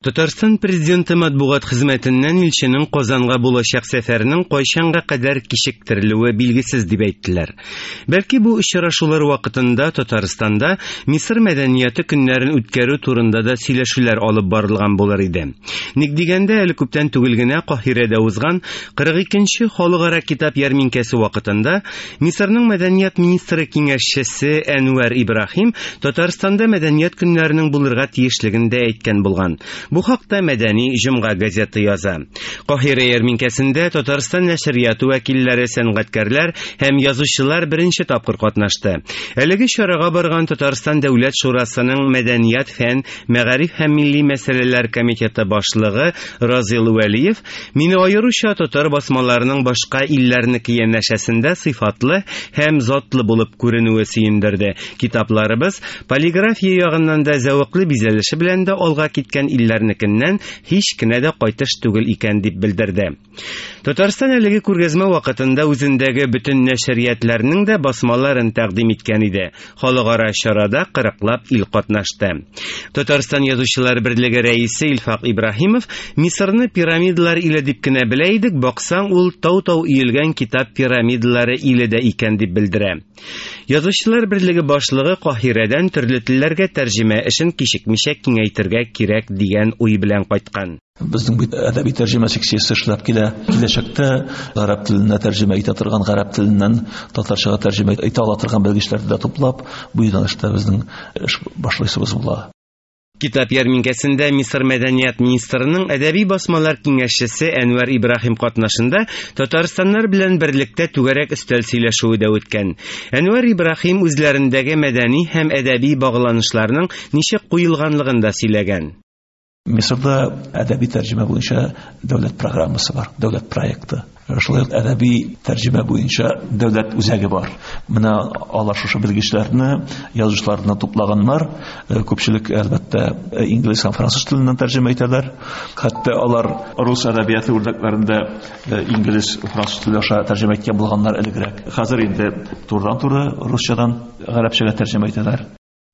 Татарстан Президенты матбугат хезмәтеннән илченең Казанга булачак сәфәренең кайчанга кадәр кичектерелүе билгесез дип әйттеләр. Бәлки бу очрашулар вакытында Татарстанда Мисыр мәдәнияте көннәрен үткәрү турында да сөйләшүләр алып барылган булыр иде. Ник дигәндә, әле күптән түгел генә Каһирәдә узган 42 нче халыкара китап ярминкәсе вакытында Мисырның мәдәният министры киңәшчесе Әнвәр Ибраһим Татарстанда мәдәният көннәренең булырга тиешлеген дә әйткән булган. Бу хакта Мәдәни җомга газеты яза. Каһирә ярминкәсендә Татарстан нәшрияты вәкилләре, сәнгатькәрләр һәм язучылар беренче тапкыр катнашты. Әлеге чарага барган Татарстан Дәүләт шурасының мәдәният, фән, мәгариф һәм милли мәсьәләләр комитеты башлыгы Разил Вәлиев Мине аеруча татар басмаларының башка илләрнеке янәшәсендә сыйфатлы һәм затлы булып күренүе сөендерде. Китапларыбыз полиграфия ягыннан да, зәвыклы бизәлеше белән дә алга киткән илләрнекеннән һич кенә дә кайтыш түгел икән, дип белдерде. Татарстан әлеге күргәзмә вакытында үзендәге бөтен нәшриятләрнең дә басмаларын тәкъдим иткән иде. Халыкара чарада кырыклап ил катнашты. Татарстан Язучылар берлеге рәисе Илфак Ибраһимов Мисырны пирамидалар иле дип кенә белә идек, баксаң, ул тау-тау өелгән китап пирамидалары иле дә икән дип белдерә. Язучылар берлеге башлыгы Каһирәдән төрле телләргә тәрҗемә эшен кичекмичә киңәйтергә кирәк дигән уй белән кайткан. Безнең бит әдәби тәрҗемә секциясе эшләп килә. Киләчәктә гарәп теленә тәрҗемә итә торган, гарәп теленнән татарчага тәрҗемә итә ала торган белгечләрне дә туплап, бу юнәлештә безнең эш башлыйсыбыз була. Китап ярминкәсендә Мисыр мәдәният министрының әдәби басмалар киңәшчесе Әнвәр Ибраһим катнашында татарстаннар белән берлектә түгәрәк өстәл сөйләшүе дә үткән. Әнвәр Ибраһим үзләрендәге мәдәни һәм әдәби багланышларның ничек куелганлыгын да сөйләгән. Мисырда әдәби тәрҗемә буенча дәүләт программасы бар, дәүләт проекты. Шулай ук әдәби тәрҗемә буенча дәүләт үзәге бар. Менә алар шушы белгечләрне, язучыларны туплаганнар. Э, күпчелек, әлбәттә, э, инглиз һәм француз теленнән тәрҗемә итәләр. Хәтта алар рус әдәбияты үрнәкләрендә э, инглиз, француз теле аша тәрҗемә иткән булганнар элегрәк. Хәзер инде турыдан-туры русчадан гарәпчәгә тәрҗемә итәләр.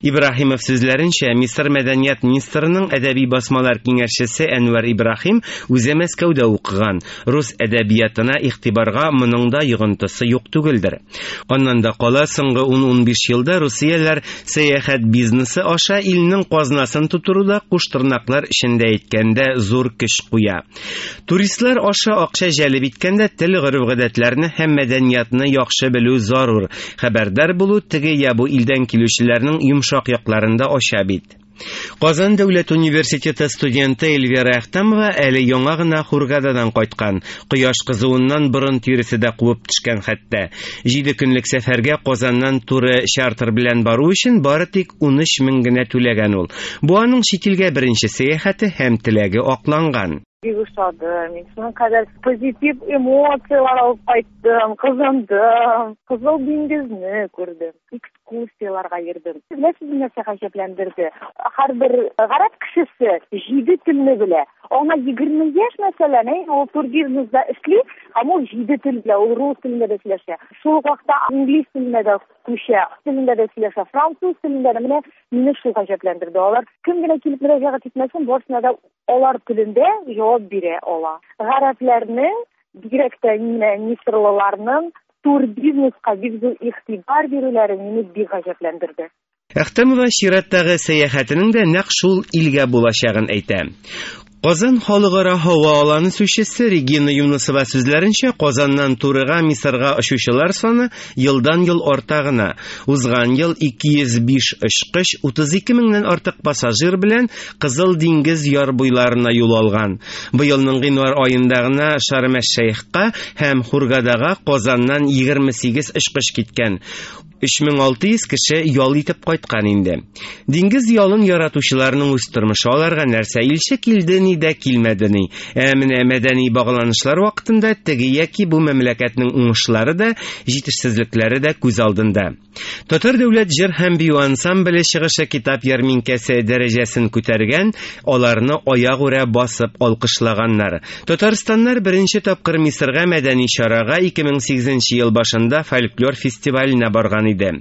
Ибраһимов сүзләренчә, Мисыр мәдәният министрының әдәби басмалар киңәшчесе Әнвәр Ибраһим үзе Мәскәүдә укыган, рус әдәбиятына игътибарга моның да йогынтысы юк түгелдер. Аннан да кала, соңгы ун-унбиш елда русияләр сәяхәт бизнесы аша илнең казнасын тутыруда куштырнаклар эчендә әйткәндә зур көч куя. Туристлар аша акча җәлеп иткәндә тел, гореф-гадәтләрне һәм мәдәниятны яхшы белү зарур. Хәбәрдар булу теге я бу илдән килүчеләрнең йомшак якларын да ача бит. Казан дәүләт университеты студенты Эльвира Әхтәмова әле яңа гына Хургададан кайткан. Кояш кызуыннан борын тиресе дә кубып төшкән хәтта. Җиде көнлек сәфәргә Казаннан туры чартер белән бару өчен бары тик 13 мең генә түләгән ул. Бу аның чит илгә беренче сәяхәте һәм теләге акланган. Бик ошады. Мин шуның кадәр позитив эмоцияләр алып кайттым, кызындым. Кызыл диңгезне күрдем, экскурсияләргә йөрдем. Беләсезме, нәрсә гаҗәпләндерде? Һәрбер гарәп кешесе җиде телне белә. Аңа 20 яшь, мәсәлән, әй, ул турбизнесда эшли, һәм ул җиде тел белә, ул рус телендә дә сөйләшә. Шул ук вакытта инглиз теленә дә күчә, телендә дә сөйләшә, француз телендә дә. Менә мине шул гаҗәпләндерде. Алар кем генә килеп мөрәҗәгать итмәсен, барысына да алар телендә җавап бирә ала. Гарәпләрнең, бигрәк тә менә мисырлыларның турбизнеска бик зур игътибар бирүләре мине бик гаҗәпләндерде. Әхтәмова чираттагы сәяхәтенең дә нәкъ шул илгә булачагын әйтә. Казан халыкара һава аланы сүзчесе Регина Юнысова сүзләренчә, Казаннан турыга Мисырга очучылар саны елдан-ел арта гына. Узган ел 205 очкыч 32 меңнән артык пассажир белән Кызыл диңгез яр буйларына юл алган. Быелның гыйнвар аенда гына Шарм-әш-Шәйхка һәм Хургадага Казаннан 28 очкыч киткән. 3600 кеше ял итеп кайткан инде. Диңгез ялын яратучыларның үз тормышы аларга нәрсә илче килде ни дә килмәде ни. Ә менә мәдәни багланышлар вакытында теге яки бу мәмләкәтнең уңышлары да, җитешсезлекләре дә күз алдында. Татар дәүләт җыр һәм бию ансамбле чыгышы китап ярминкәсе дәрәҗәсен күтәргән, аларны аягүрә басып алкышлаганнар. Татарстаннар беренче тапкыр Мисырга мәдәни чарага 2008 ел башында фольклор фестиваленә барган иде.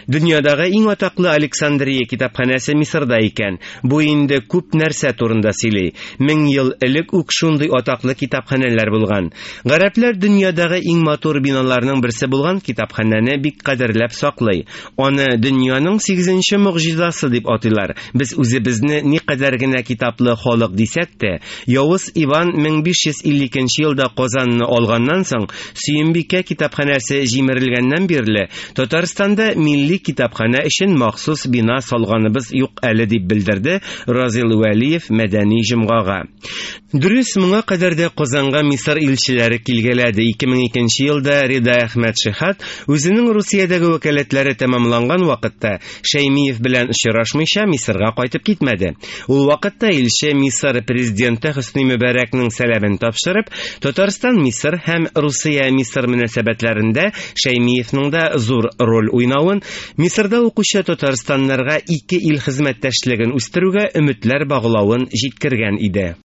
Дөньядагы иң атаклы Александрия китапханәсе Мисырда икән. Бу инде күп нәрсә турында сөйли. 1000 ел элек үк шундый атаклы китапханәләр булган. Гарәпләр дөньядагы иң матур биналарның берсе булган китапханәне бик кадерләп саклый. Аны дөньяның сигезенче могҗизасы дип атыйлар. Без үзебезне никадәр генә китаплы халык дисәк тә, Явыз Иван 1552 елда Казанны алганнан соң, Сөембикә китапханәсе җимерелгәннән бирле, Татарстанда милли китапханә өчен махсус бина салганыбыз юк әле, дип белдерде Разил Вәлиев Мәдәни җомгага. Дөрес, моңа кадәр дә Казанга Мисыр илчеләре килгәләде. 2002 елда Рида Әхмәт Шихат үзенең Русиядәге вәкаләтләре тәмамланган вакытта Шәймиев белән очрашмыйча Мисырга кайтып китмәде. Ул вакытта илче Мисыр президенты Хөсни Мөбәрәкнең сәламен тапшырып, Татарстан-Мисыр һәм Русия-Мисыр мөнәсәбәтләрендә Шәймиевның да зур роль уйнавын, Мисырда укучы татарстаннарга ике ил хезмәттәшлеген үстерүгә өметләр баглавын җиткергән иде.